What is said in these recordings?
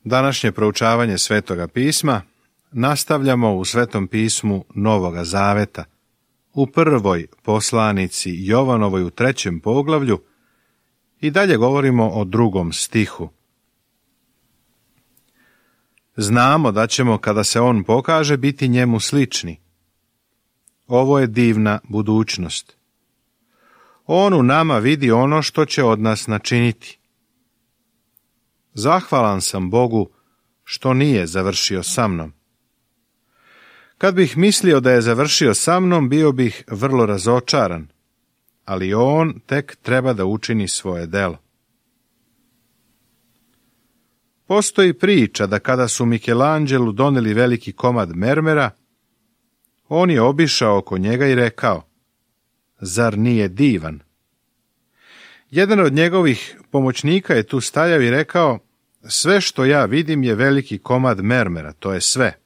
Današnje proučavanje Svetoga pisma nastavljamo u Svetom pismu Novoga Zaveta, u prvoj poslanici Jovanovoj u 3. poglavlju i dalje govorimo o 2. stihu. Znamo da ćemo, kada se on pokaže, biti njemu slični. Ovo je divna budućnost. On u nama vidi ono što će od nas načiniti. Zahvalan sam Bogu što nije završio sa mnom. Kad bih mislio da je završio sa mnom, bio bih vrlo razočaran, ali on tek treba da učini svoje delo. Postoji priča da kada su Michelangelu doneli veliki komad mermera, on je obišao oko njega i rekao: zar nije divan? Jedan od njegovih pomoćnika je tu stajao i rekao: sve što ja vidim je veliki komad mermera, to je sve.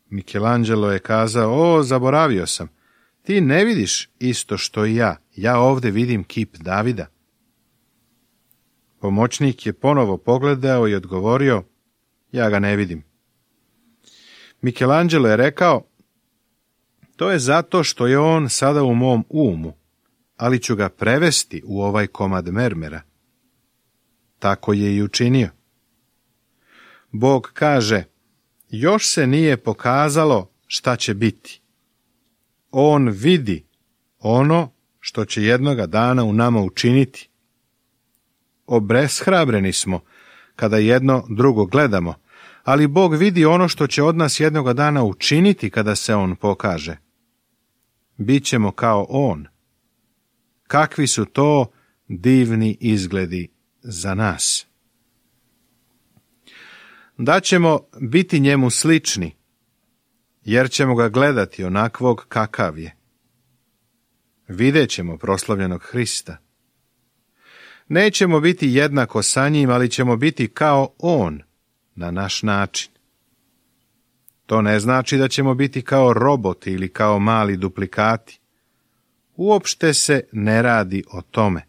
Michelangelo je kazao: o, zaboravio sam, ti ne vidiš isto što i ja ovdje vidim kip Davida. Pomoćnik je ponovo pogledao i odgovorio: ja ga ne vidim. Michelangelo je rekao: to je zato što je on sada u mom umu, ali ću ga prevesti u ovaj komad mermera. Tako je i učinio. Bog kaže: još se nije pokazalo šta će biti. On vidi ono što će jednoga dana u nama učiniti. Obeshrabreni smo kada jedno drugo gledamo, ali Bog vidi ono što će od nas jednoga dana učiniti kada se on pokaže. Bićemo kao on. Kakvi su to divni izgledi za nas. Da ćemo biti njemu slični, jer ćemo ga gledati onakvog kakav je. Vidjet ćemo proslavljenog Hrista. Nećemo biti jednako sa njim, ali ćemo biti kao on, na naš način. To ne znači da ćemo biti kao roboti ili kao mali duplikati. Uopšte se ne radi o tome.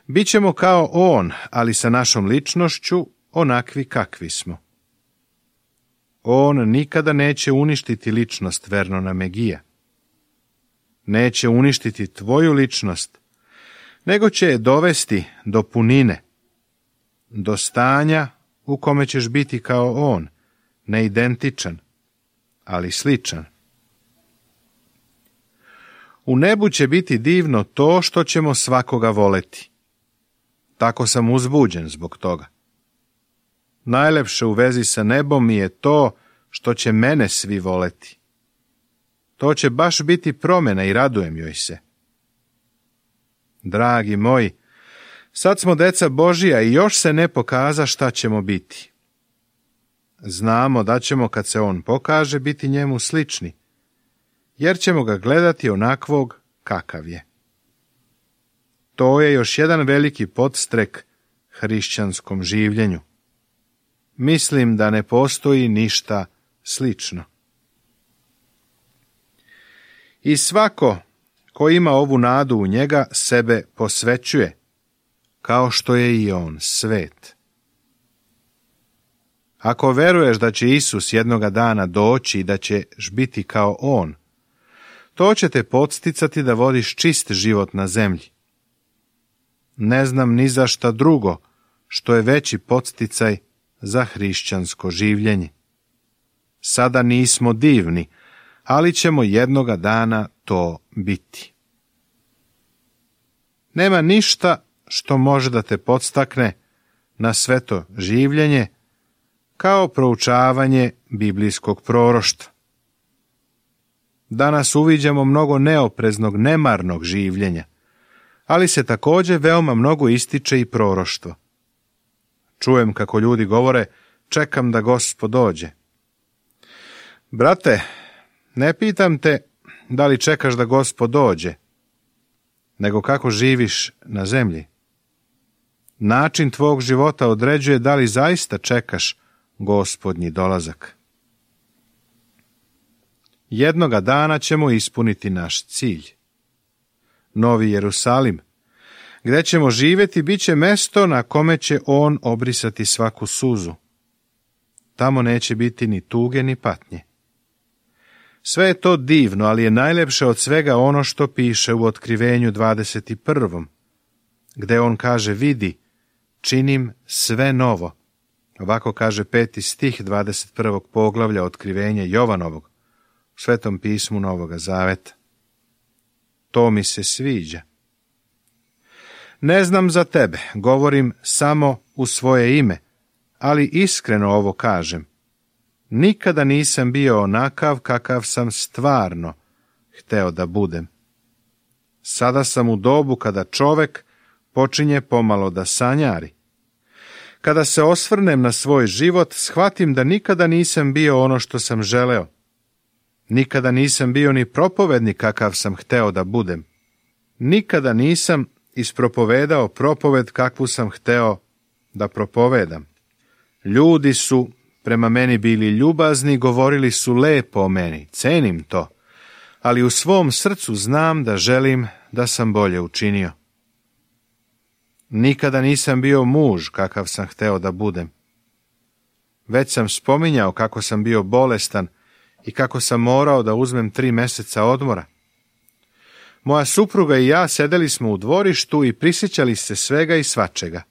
Bićemo kao on, ali sa našom ličnošću onakvi kakvi smo. On nikada neće uništiti ličnost Vernona Megija. Neće uništiti tvoju ličnost, nego će je dovesti do punine, do stanja u kome ćeš biti kao on, ne identičan, ali sličan. U nebu će biti divno to što ćemo svakoga voleti. Tako sam uzbuđen zbog toga. Najlepše u vezi sa nebom mi je to što će mene svi voleti. To će baš biti promjena i radujem joj se. Dragi moji, sad smo deca Božija i još se ne pokaza šta ćemo biti. Znamo da ćemo, kad se on pokaže, biti njemu slični, jer ćemo ga gledati onakvog kakav je. To je još jedan veliki podstrek hrišćanskom življenju. Mislim da ne postoji ništa slično. I svako ko ima ovu nadu u njega sebe posvećuje, kao što je i on svet. Ako veruješ da će Isus jednoga dana doći i da ćeš biti kao on, to će te podsticati da vodiš čist život na zemlji. Ne znam ni za šta drugo što je veći podsticaj za hrišćansko življenje. Sada nismo divni, ali ćemo jednoga dana to biti. Nema ništa što može da te podstakne na sveto življenje kao proučavanje biblijskog proroštva. Danas uviđamo mnogo neopreznog, nemarnog življenja, ali se također veoma mnogo ističe i proroštvo. Čujem kako ljudi govore: čekam da Gospod dođe. Brate, ne pitam te da li čekaš da Gospod dođe, nego kako živiš na zemlji. Način tvog života određuje da li zaista čekaš Gospodnji dolazak. Jednoga dana ćemo ispuniti naš cilj. Novi Jerusalim, Gde ćemo živjeti, bit će mesto na kome će on obrisati svaku suzu. Tamo neće biti ni tuge ni patnje. Sve je to divno, ali je najlepše od svega ono što piše u Otkrivenju 21. gde on kaže, vidi, činim sve novo. Ovako kaže 5. stih 21. poglavlja Otkrivenja Jovanovog, u Svetom pismu Novoga Zaveta. To mi se sviđa. Ne znam za tebe, govorim samo u svoje ime, ali iskreno ovo kažem. Nikada nisam bio onakav kakav sam stvarno hteo da budem. Sada sam u dobu kada čovek počinje pomalo da sanjari. Kada se osvrnem na svoj život, shvatim da nikada nisam bio ono što sam želeo. Nikada nisam bio ni propovednik kakav sam hteo da budem. Nikada nisam ispropovedao propoved kakvu sam hteo da propovedam. Ljudi su prema meni bili ljubazni, govorili su lepo o meni, cenim to, ali u svom srcu znam da želim da sam bolje učinio. Nikada nisam bio muž kakav sam hteo da budem. Već sam spominjao kako sam bio bolestan i kako sam morao da uzmem 3 meseca odmora. Moja supruga i ja sedeli smo u dvorištu i prisjećali se svega i svačega.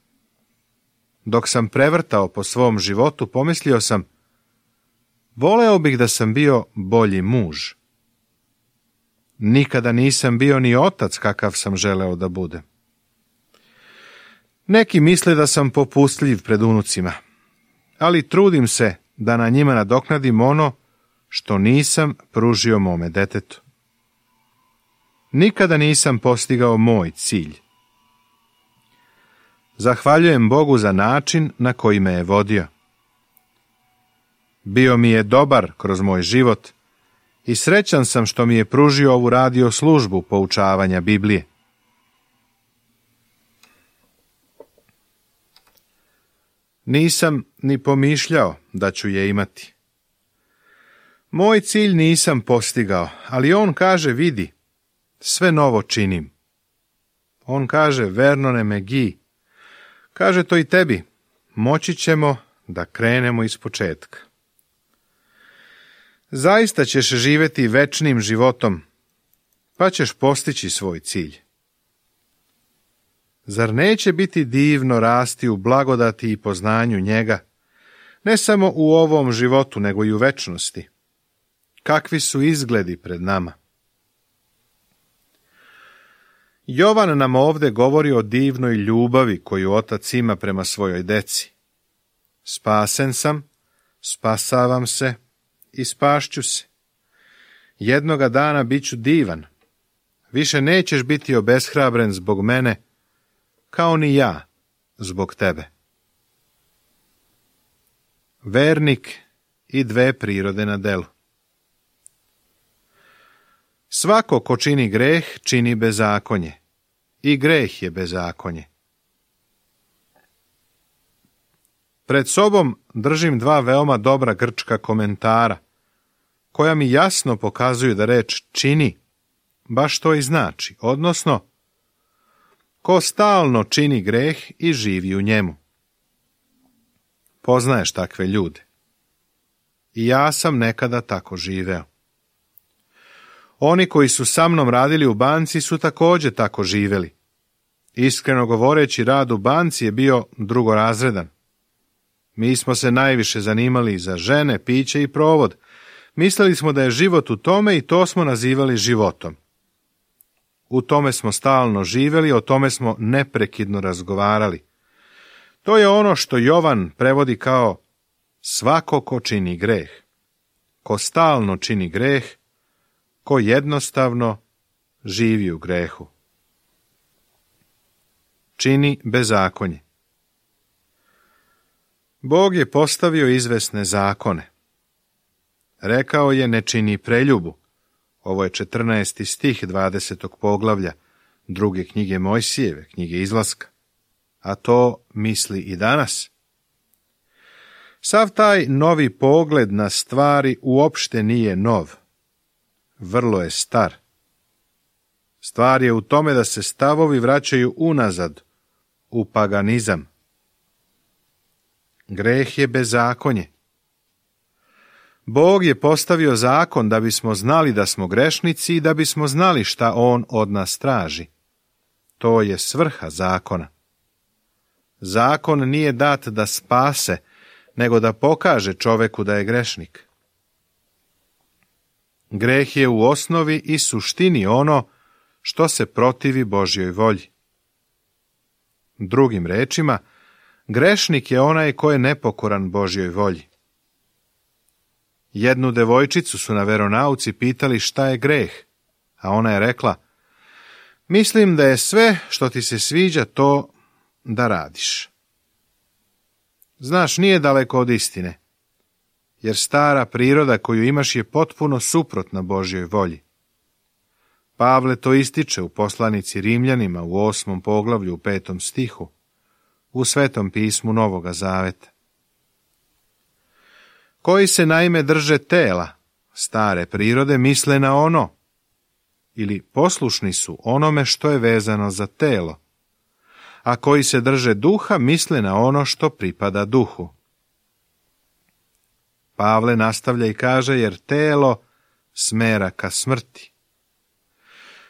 Dok sam prevrtao po svom životu, pomislio sam, voleo bih da sam bio bolji muž. Nikada nisam bio ni otac kakav sam želeo da budem. Neki misle da sam popustljiv pred unucima, ali trudim se da na njima nadoknadim ono što nisam pružio mome detetu. Nikada nisam postigao moj cilj. Zahvaljujem Bogu za način na koji me je vodio. Bio mi je dobar kroz moj život i srećan sam što mi je pružio ovu radio službu poučavanja Biblije. Nisam ni pomišljao da ću je imati. Moj cilj nisam postigao, ali on kaže, vidi, sve novo činim. On kaže, Vernone McGee, kaže to i tebi, moći ćemo da krenemo iz početka. Zaista ćeš živjeti večnim životom, pa ćeš postići svoj cilj. Zar neće biti divno rasti u blagodati i poznanju njega, ne samo u ovom životu, nego i u večnosti? Kakvi su izgledi pred nama? Jovan nam ovdje govori o divnoj ljubavi koju otac ima prema svojoj deci. Spasen sam, spasavam se i spašću se. Jednoga dana bit ću divan. Više nećeš biti obeshrabren zbog mene, kao ni ja zbog tebe. Vernik i 2 prirode na delu. Svako ko čini greh, čini bezakonje. I greh je bezakonje. Pred sobom držim 2 veoma dobra grčka komentara, koja mi jasno pokazuju da reč čini baš to i znači, odnosno ko stalno čini greh i živi u njemu. Poznaješ takve ljude. I ja sam nekada tako živeo. Oni koji su sa mnom radili u banci su također tako živeli. Iskreno govoreći, rad u banci je bio drugorazredan. Mi smo se najviše zanimali za žene, piće i provod. Mislili smo da je život u tome i to smo nazivali životom. U tome smo stalno živjeli, o tome smo neprekidno razgovarali. To je ono što Jovan prevodi kao svako ko čini greh. Ko stalno čini greh, ko jednostavno živi u grehu. Čini bezakonje. Bog je postavio izvesne zakone. Rekao je ne čini preljubu. Ovo je 14. stih 20. poglavlja 2. knjige Mojsijeve, knjige Izlaska. A to misli i danas. Sav taj novi pogled na stvari uopšte nije nov. Vrlo je star. Stvar je u tome da se stavovi vraćaju unazad, u paganizam. Greh je bezakonje. Bog je postavio zakon da bismo znali da smo grešnici i da bismo znali šta on od nas traži. To je svrha zakona. Zakon nije dat da spase, nego da pokaže čoveku da je grešnik. Greh je u osnovi i suštini ono što se protivi Božjoj volji. Drugim rečima, grešnik je onaj ko je nepokoran Božjoj volji. Jednu devojčicu su na veronauci pitali šta je greh, a ona je rekla: mislim da je sve što ti se sviđa to da radiš. Znaš, nije daleko od istine, jer stara priroda koju imaš je potpuno suprotna Božjoj volji. Pavle to ističe u poslanici Rimljanima u 8. poglavlju u 5. stihu, u Svetom pismu Novoga Zaveta. Koji se naime drže tela, stare prirode, misle na ono, ili poslušni su onome što je vezano za telo, a koji se drže duha, misle na ono što pripada duhu. Pavle nastavlja i kaže, jer telo smera ka smrti.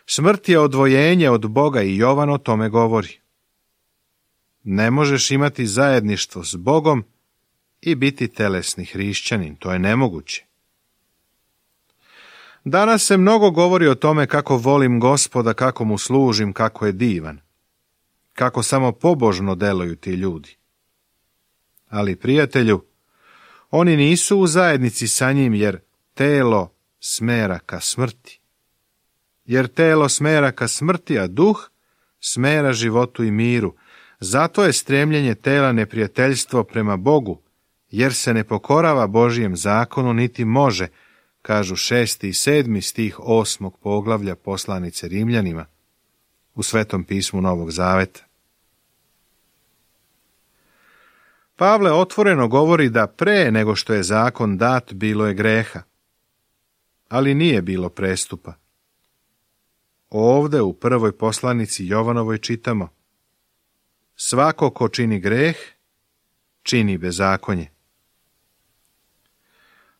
Smrt je odvojenje od Boga i Jovan o tome govori. Ne možeš imati zajedništvo s Bogom i biti telesni hrišćanin, to je nemoguće. Danas se mnogo govori o tome kako volim Gospoda, kako mu služim, kako je divan, kako samo pobožno deluju ti ljudi. Ali, prijatelju, oni nisu u zajednici sa njim, jer telo smera ka smrti. Jer telo smera ka smrti, a duh smera životu i miru. Zato je stremljenje tela neprijateljstvo prema Bogu, jer se ne pokorava Božjem zakonu, niti može, kažu 6. i 7. stih 8. poglavlja poslanice Rimljanima u Svetom pismu Novog Zaveta. Pavle otvoreno govori da pre nego što je zakon dat bilo je greha, ali nije bilo prestupa. Ovde u prvoj poslanici Jovanovoj čitamo: svako ko čini greh, čini bezakonje.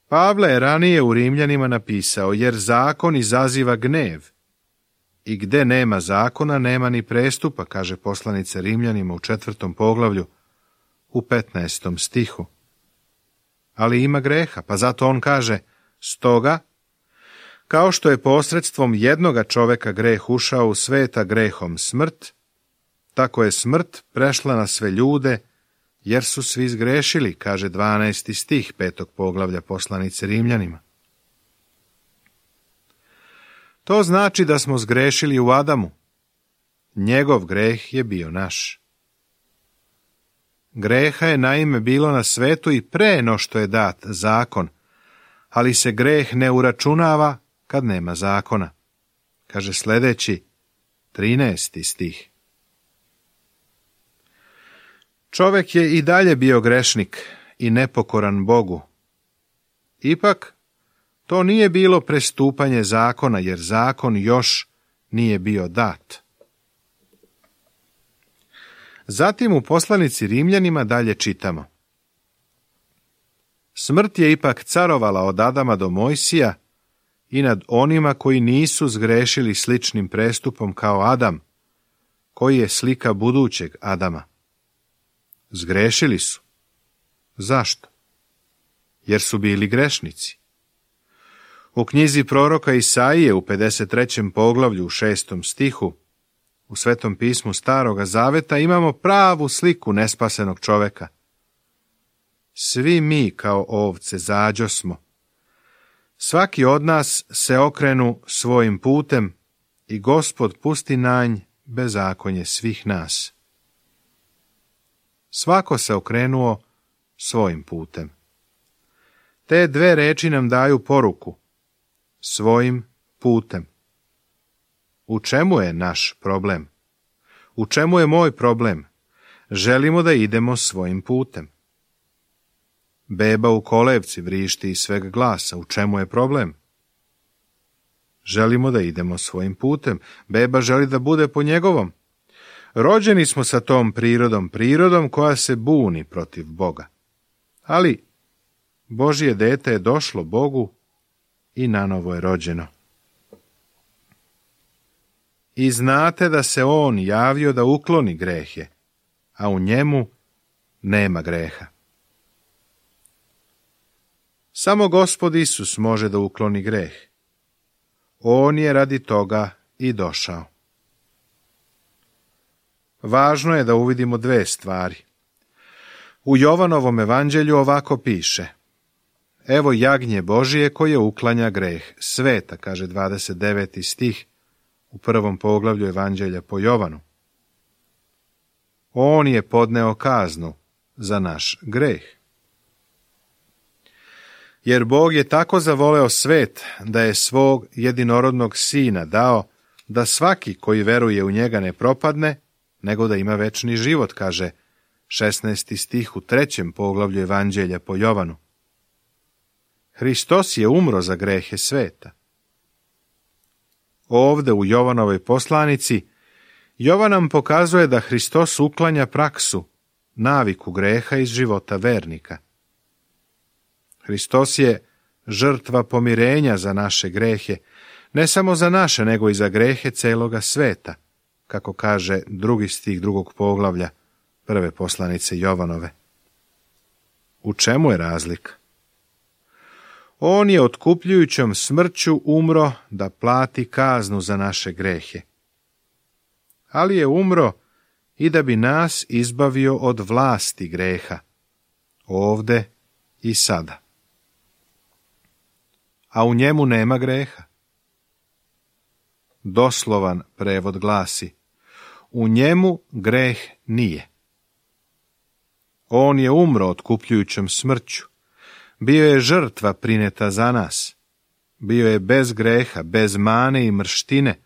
Pavle je ranije u Rimljanima napisao, jer zakon izaziva gnev, i gde nema zakona, nema ni prestupa, kaže poslanica Rimljanima u 4. poglavlju, u 15. stihu. Ali ima greha, pa zato on kaže: stoga, kao što je posredstvom jednoga čoveka greh ušao u sveta grehom smrt, tako je smrt prešla na sve ljude, jer su svi zgrešili, kaže 12. stih 5. poglavlja poslanice Rimljanima. To znači da smo zgrešili u Adamu. Njegov greh je bio naš. Greha je naime bilo na svetu i pre no što je dat zakon, ali se greh ne uračunava kad nema zakona, kaže sljedeći 13. stih. Čovek je i dalje bio grešnik i nepokoran Bogu. Ipak, to nije bilo prestupanje zakona, jer zakon još nije bio dat. Zatim u poslanici Rimljanima dalje čitamo: smrt je ipak carovala od Adama do Mojsija i nad onima koji nisu zgrešili sličnim prestupom kao Adam, koji je slika budućeg Adama. Zgrešili su. Zašto? Jer su bili grešnici. U knjizi proroka Isaije u 53. poglavlju u 6. stihu u Svetom pismu Staroga Zaveta imamo pravu sliku nespasenog čoveka. Svi mi kao ovce zađosmo. Svaki od nas se okrenu svojim putem i Gospod pusti na nj bezakonje svih nas. Svako se okrenuo svojim putem. Te dve reči nam daju poruku: svojim putem. U čemu je naš problem? U čemu je moj problem? Želimo da idemo svojim putem. Beba u kolevci vrišti iz sveg glasa. U čemu je problem? želimo da idemo svojim putem. Beba želi da bude po njegovom. Rođeni smo sa tom prirodom koja se buni protiv Boga. Ali Božje dete je došlo Bogu i nanovo je rođeno. I znate da se on javio da ukloni grehe, a u njemu nema greha. Samo Gospod Isus može da ukloni greh. On je radi toga i došao. Važno je da uvidimo dve stvari. U Jovanovom evanđelju ovako piše: Evo jagnje Božije koje uklanja greh sveta, kaže 29. stih u 1. poglavlju evanđelja po Jovanu. On je podneo kaznu za naš greh. Jer Bog je tako zavoleo svet da je svog jedinorodnog sina dao da svaki koji veruje u njega ne propadne, nego da ima večni život, kaže 16. stih u 3. poglavlju evanđelja po Jovanu. Hristos je umro za grehe sveta. Ovde u Jovanovoj poslanici Jovan nam pokazuje da Hristos uklanja praksu, naviku greha iz života vernika. Hristos je žrtva pomirenja za naše grehe, ne samo za naše, nego i za grehe celoga sveta, kako kaže 2. stih 2. poglavlja 1. poslanice Jovanove. U čemu je razlika? On je otkupljujućom smrću umro da plati kaznu za naše grehe. Ali je umro i da bi nas izbavio od vlasti greha, ovde i sada. A u njemu nema greha. Doslovan prevod glasi: u njemu greh nije. On je umro otkupljujućom smrću. Bio je žrtva prineta za nas. Bio je bez greha, bez mane i mrštine,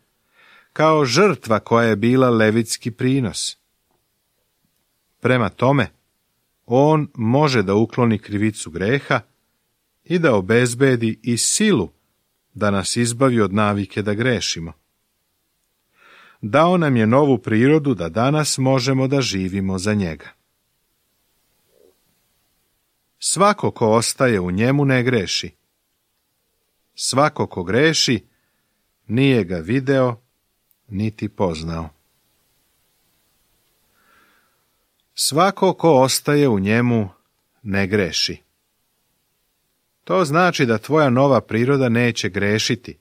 kao žrtva koja je bila levitski prinos. Prema tome, on može da ukloni krivicu greha i da obezbedi i silu da nas izbavi od navike da grešimo. Dao nam je novu prirodu da danas možemo da živimo za njega. Svako ko ostaje u njemu ne greši. Svako ko greši nije ga video niti poznao. Svako ko ostaje u njemu ne greši. To znači da tvoja nova priroda neće grešiti.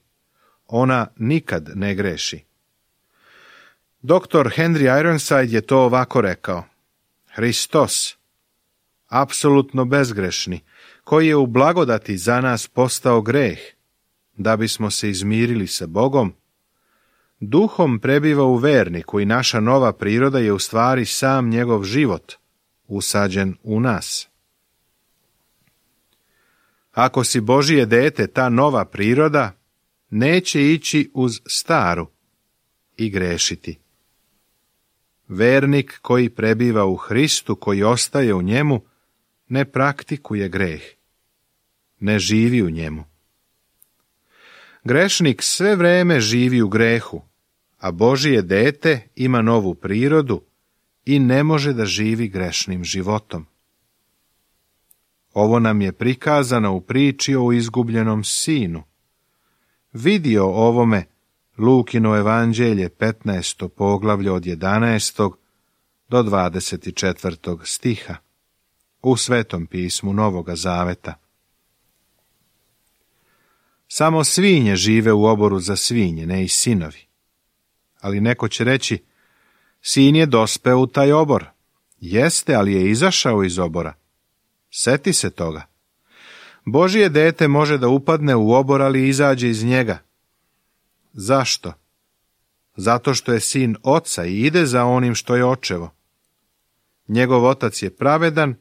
Ona nikad ne greši. Dr. Henry Ironside je to ovako rekao: Hristos, apsolutno bezgrešni, koji je u blagodati za nas postao greh, da bismo se izmirili sa Bogom, duhom prebiva u verniku i naša nova priroda je u stvari sam njegov život, usađen u nas. Ako si Božije dete, ta nova priroda neće ići uz staru i grešiti. Vernik koji prebiva u Hristu, koji ostaje u njemu, ne praktikuje greh, ne živi u njemu. Grešnik sve vreme živi u grehu, a Božije dete ima novu prirodu i ne može da živi grešnim životom. Ovo nam je prikazano u priči o izgubljenom sinu. Vidi o ovome Lukino evanđelje 15. poglavlje od 11. do 24. stiha u Svetom pismu Novoga Zaveta. Samo svinje žive u oboru za svinje, ne i sinovi. Ali neko će reći: sin je dospeo u taj obor. Jeste, ali je izašao iz obora. Seti se toga. Božje dete može da upadne u obor, ali izađe iz njega. Zašto? Zato što je sin oca i ide za onim što je očevo. Njegov otac je pravedan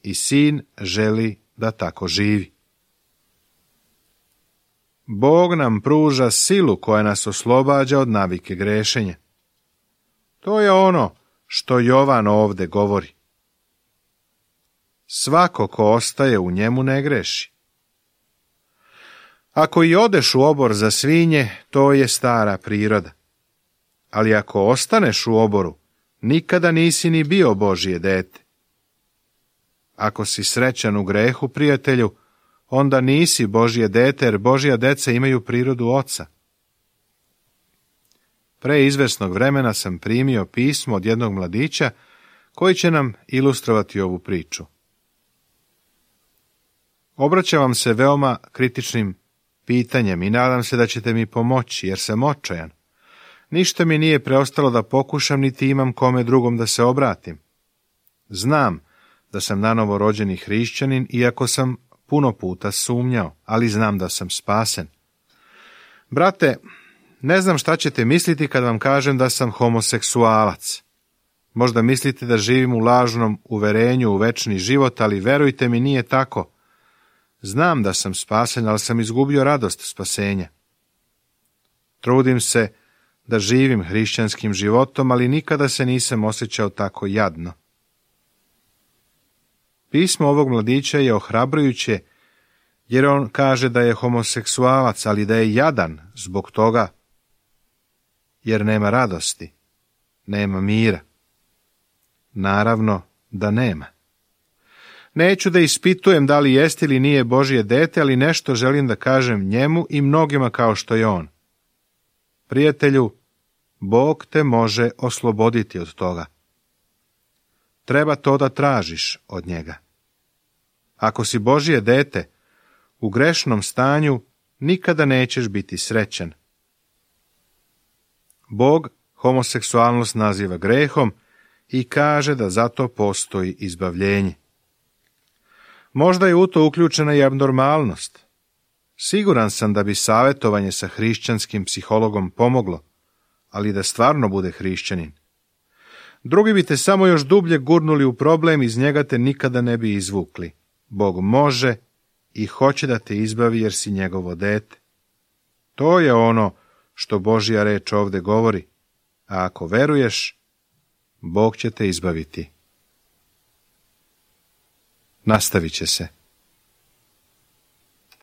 i sin želi da tako živi. Bog nam pruža silu koja nas oslobađa od navike grešenja. To je ono što Jovan ovde govori. Svako ko ostaje u njemu ne greši. Ako i odeš u obor za svinje, to je stara priroda. Ali ako ostaneš u oboru, nikada nisi ni bio Božje dete. Ako si srećan u grehu, prijatelju, onda nisi Božje dete, jer Božja deca imaju prirodu oca. Pre izvesnog vremena sam primio pismo od jednog mladića koji će nam ilustrovati ovu priču. Obraćam vam se veoma kritičnim pitanjem i nadam se da ćete mi pomoći, jer sam očajan. Ništa mi nije preostalo da pokušam, niti imam kome drugom da se obratim. Znam da sam nanovo rođeni hrišćanin, iako sam puno puta sumnjao, ali znam da sam spasen. Brate, ne znam šta ćete misliti kad vam kažem da sam homoseksualac. Možda mislite da živim u lažnom uverenju u večni život, ali verujte mi, nije tako. Znam da sam spasen, ali sam izgubio radost spasenja. Trudim se da živim hrišćanskim životom, ali nikada se nisam osjećao tako jadno. Pismo ovog mladića je ohrabrujuće, jer on kaže da je homoseksualac, ali da je jadan zbog toga, jer nema radosti, nema mira. Naravno da nema. Neću da ispitujem da li jest ili nije Božje dete, ali nešto želim da kažem njemu i mnogima kao što je on. Prijatelju, Bog te može osloboditi od toga. Treba to da tražiš od njega. Ako si Božje dete, u grešnom stanju nikada nećeš biti srećan. Bog homoseksualnost naziva grehom i kaže da zato postoji izbavljenje. Možda je u to uključena i abnormalnost. Siguran sam da bi savjetovanje sa hrišćanskim psihologom pomoglo, ali da stvarno bude hrišćanin. Drugi bi te samo još dublje gurnuli u problem, iz njega te nikada ne bi izvukli. Bog može i hoće da te izbavi jer si njegovo dete. To je ono što Božja reč ovdje govori, a ako veruješ, Bog će te izbaviti. Nastavit će se.